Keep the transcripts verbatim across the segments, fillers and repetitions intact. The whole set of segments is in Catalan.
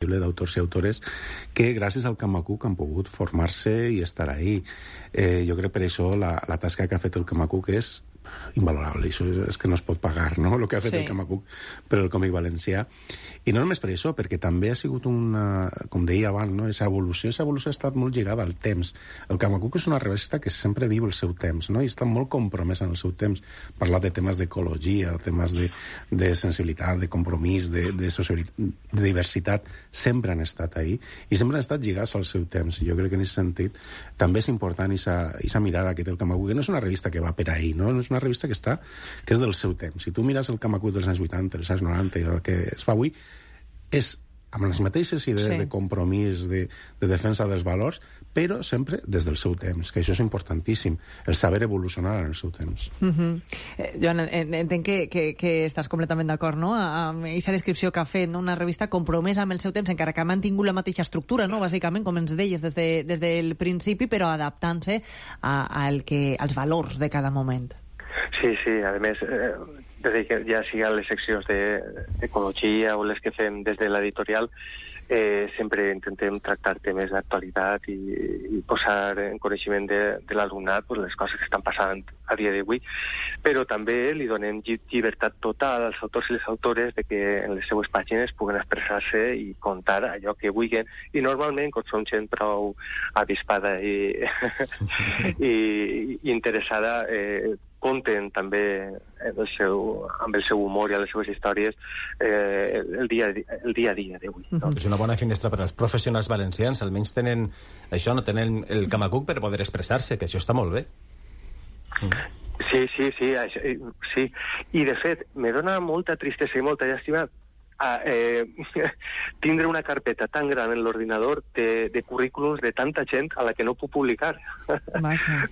d'autors i autores que gràcies al Camacuc han pogut formar-se i estar ahí. Eh, jo crec per això la, la tasca que ha fet el Camacuc és invalorable, això és, és que no es pot pagar, no?, el que ha fet sí. el Camacuc per al còmic valencià. I no només per això, perquè també ha sigut una, com deia abans, no?, aquesta evolució, aquesta evolució ha estat molt lligada al temps. El Camacuc és una revista que sempre viu el seu temps, no?, i està molt compromesa en el seu temps. Parlar de temes d'ecologia, temes de, de sensibilitat, de compromís, de, de, de diversitat, sempre han estat ahí, i sempre han estat lligats al seu temps. I jo crec que en aquest sentit també és important aquesta mirada que té el Camacuc, que no és una revista que va per ahí, no?, no és una revista que està, que és del seu temps. Si tu mires el Camacuc dels anys vuitanta, dels anys noranta i el que es fa avui, és amb les mateixes idees sí. de compromís, de, de defensa dels valors, però sempre des del seu temps, que això és importantíssim, el saber evolucionar en el seu temps. Uh-huh. eh, Joan, entenc que, que, que estàs completament d'acord, no?, amb aquesta descripció que ha fet, no?, una revista compromesa amb el seu temps, encara que ha mantingut la mateixa estructura, no?, bàsicament, com ens deies, des, de, des del principi, però adaptant-se a, a el que, als valors de cada moment. Sí, sí, a més, eh, des que ja sigui les seccions d'ecologia o les que fem des de l'editorial, eh, sempre intentem tractar temes d'actualitat i, i posar en coneixement de, de l'alumnat pues, les coses que estan passant a dia d'avui, però també li donem llibertat total als autors i les autores de que en les seues pàgines puguen expressar-se i contar allò que vulguin, i normalment, com som gent prou avispada i, i, i interessada, eh, compten també el seu, amb el seu humor i les seves històries eh, el, dia, el dia a dia d'avui. No? És una bona finestra per als professionals valencians, almenys tenen això, no tenen el Camacuc per poder expressar-se, que això està molt bé. Sí, sí, sí, això, sí. I de fet, me dona molta tristesa i molta llàstima a eh, tindre una carpeta tan gran en l'ordinador de, de currículums de tanta gent a la que no puc publicar.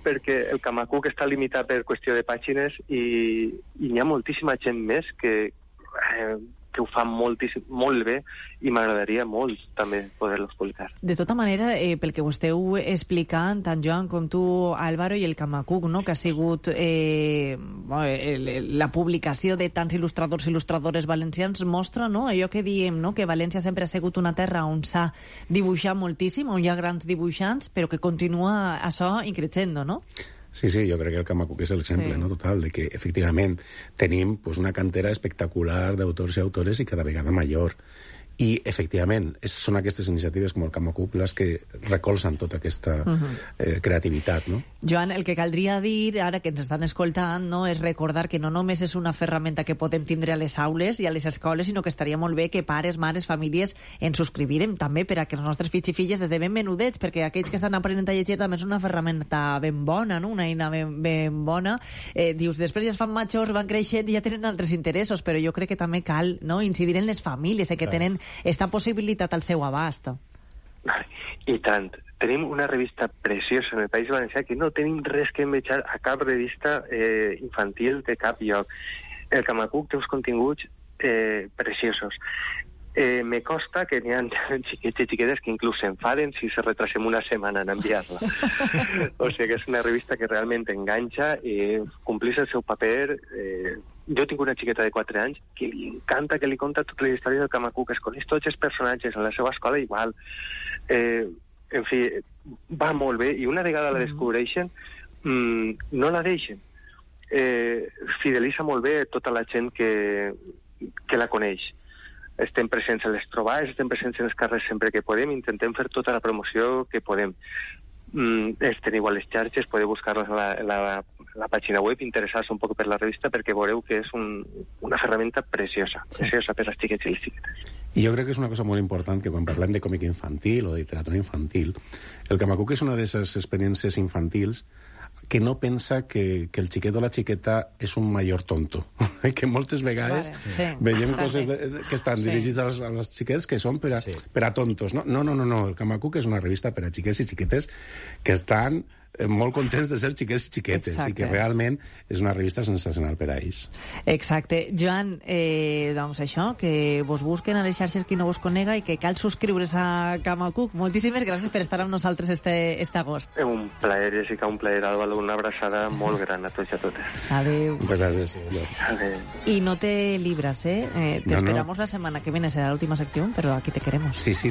Perquè el Camacuc està limitat per qüestió de pàgines i, i hi ha moltíssima gent més que, eh, que ho fa moltíssim, molt bé, i m'agradaria molt també poder-los publicar. De tota manera, eh, pel que ho esteu explicant, tant Joan com tu, Álvaro, i el Camacuc, no?, que ha sigut eh, la publicació de tants il·lustradors i il·lustradores valencians, mostra, no?, allò que diem, no?, que València sempre ha sigut una terra on s'ha dibuixat moltíssim, on hi ha grans dibuixants, però que continua això increixendo, no? Sí, sí, jo crec que el Camacuc és l'exemple, sí. no, total, de que, efectivament, tenim pues, una cantera espectacular d'autors i autores i cada vegada major. I, efectivament, és, són aquestes iniciatives com el Camacuc les que recolzen tota aquesta uh-huh. eh, creativitat, no? Joan, el que caldria dir, ara que ens estan escoltant, no, és recordar que no només és una ferramenta que podem tindre a les aules i a les escoles, sinó que estaria molt bé que pares, mares, famílies ens subscrivirem també per a que els nostres fills i filles des de ben menudets, perquè aquells que estan aprenent a llegir també és una ferramenta ben bona, no?, una eina ben, ben bona. Eh, dius, després ja es fan majors, van creixent i ja tenen altres interessos, però jo crec que també cal, no?, incidir en les famílies, eh, que tenen esta possibilitat al seu abast. I tant. Tenim una revista preciosa en el País Valencià que no tenim res que envejar a cap revista eh, infantil de cap lloc. El Camacuc té uns continguts eh, preciosos. Eh, me costa que n'hi ha xiquets i xiquetes que inclús s'enfaden si se retrasem una setmana en enviar-la. O sigui que és una revista que realment enganxa i complís el seu paper. Eh, jo tinc una xiqueta de quatre anys que li encanta, que li conta tota la història del Camacuc, es coneix tots els personatges en la seva escola igual. Eh, en fi, va molt bé, i una vegada la descobreixen, mmm, no la deixen. Eh, fidelitza molt bé tota la gent que, que la coneix. Estem presents a les trobades, estem presents en els carrers sempre que podem, intentem fer tota la promoció que podem. Mm, els teniu a les xarxes, podeu buscar-les a la, la, la pàgina web, interessar-se un poc per la revista, perquè veureu que és un, una ferramenta preciosa, sí. preciosa per als xiquets i les xiquetes. I jo crec que és una cosa molt important que quan parlem de còmic infantil o de literatura infantil, el Camacuc és una d'aquestes experiències infantils que no pensa que, que el xiquet o la xiqueta és un major tonto. Que moltes vegades vale, sí. veiem coses de, de, que estan sí. dirigides als, als xiquets que són per a, sí. per a tontos. No? no, no, no, no. El Camacuc és una revista per a xiquets i xiquetes que estan eh, molt contents de ser xiquets i xiquetes. Exacte. I que realment és una revista sensacional per a ells. Exacte. Joan, eh, doncs això, que vos busquen a les xarxes qui no vos conega i que cal subscriure's a Camacuc. Moltíssimes gràcies per estar amb nosaltres este, este agost. Un plaer, Jessica, un plaer, Álvaro. Una abraçada molt gran a tots i a totes. Adéu. Moltes gràcies. Adéu. Y no te libras, ¿eh? eh te no, esperamos no. la semana que viene, será la última sección, pero aquí te queremos. Sí, sí.